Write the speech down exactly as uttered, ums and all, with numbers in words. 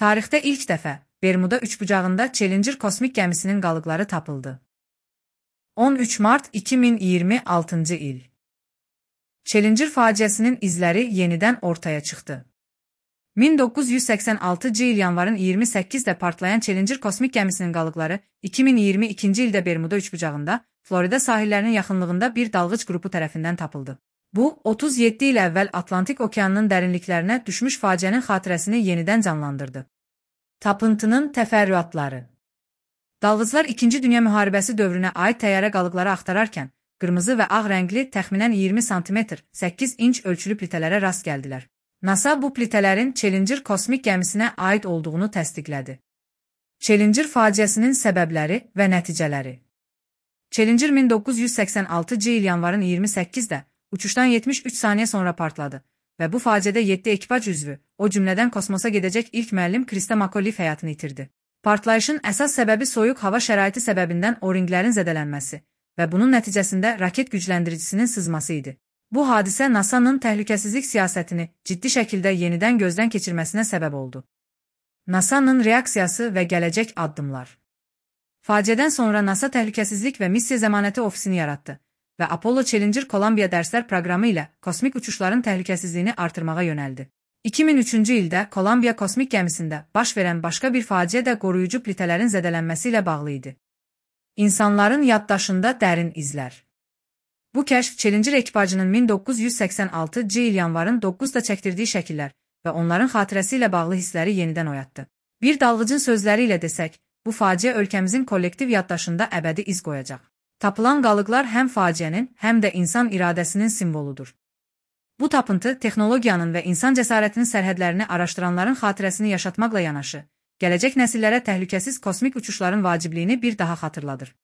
Tarixdə ilk dəfə Bermuda üçbucağında Challenger kosmik gəmisinin qalıqları tapıldı. on üç mart iki min iyirmi altıncı il. Challenger faciəsinin izləri yenidən ortaya çıxdı. min doqquz yüz səksən altıncı il yanvarın iyirmi səkkizində partlayan Challenger kosmik gəmisinin qalıqları iki min iyirmi ikinci ildə Bermuda üçbucağında, Florida sahillərinin yaxınlığında bir dalğıc qrupu tərəfindən tapıldı. Bu, otuz yeddi il əvvəl Atlantik okeanının dərinliklərinə düşmüş faciənin xatirəsini yenidən canlandırdı. Tapıntının təfərrüatları. Dalğıclar İkinci Dünya müharibəsi dövrünə aid təyyarə qalıqları axtararkən, qırmızı və ağ rəngli təxminən iyirmi santimetr səkkiz inç ölçülü plitələrə rast gəldilər. NASA bu plitələrin Challenger kosmik gəmisinə aid olduğunu təsdiqlədi. Challenger faciəsinin səbəbləri və nəticələri. Challenger min doqquz yüz səksən altıncı il yanvarın iyirmi səkkizində uçuşdan yetmiş üç saniyə sonra partladı və bu faciədə yeddi ekipaj üzvü, o cümlədən kosmosa gedəcək ilk müəllim Krista McAuliffe həyatını itirdi. Partlayışın əsas səbəbi soyuq hava şəraiti səbəbindən o-ringlərin zədələnməsi və bunun nəticəsində raket gücləndiricisinin sızması idi. Bu hadisə NASA'nın təhlükəsizlik siyasətini ciddi şəkildə yenidən gözdən keçirməsinə səbəb oldu. NASA'nın reaksiyası və gələcək addımlar. Faciədən sonra NASA Təhlükəsizlik və Missiya Zəmanəti ofisini yaratdı və Apollo Challenger Columbia dərslər proqramı ilə kosmik uçuşların təhlükəsizliyini artırmağa yönəldi. iki min üçüncü ildə Columbia kosmik gəmisində baş verən başqa bir faciə də qoruyucu plitələrin zədələnməsi ilə bağlı idi. İnsanların yaddaşında dərin izlər. Bu kəşf Challenger ekipajının min doqquz yüz səksən altıncı il yanvarın doqquzunda çəkdirdiyi şəkillər və onların xatirəsi ilə bağlı hissləri yenidən oyatdı. Bir dalğıcın sözləri ilə desək, bu faciə ölkəmizin kollektiv yaddaşında əbədi iz qoyacaq. Tapılan qalıqlar həm faciənin, həm də insan iradəsinin simvoludur. Bu tapıntı texnologiyanın və insan cəsarətinin sərhədlərini araşdıranların xatirəsini yaşatmaqla yanaşı, gələcək nəsillərə təhlükəsiz kosmik uçuşların vacibliyini bir daha xatırladır.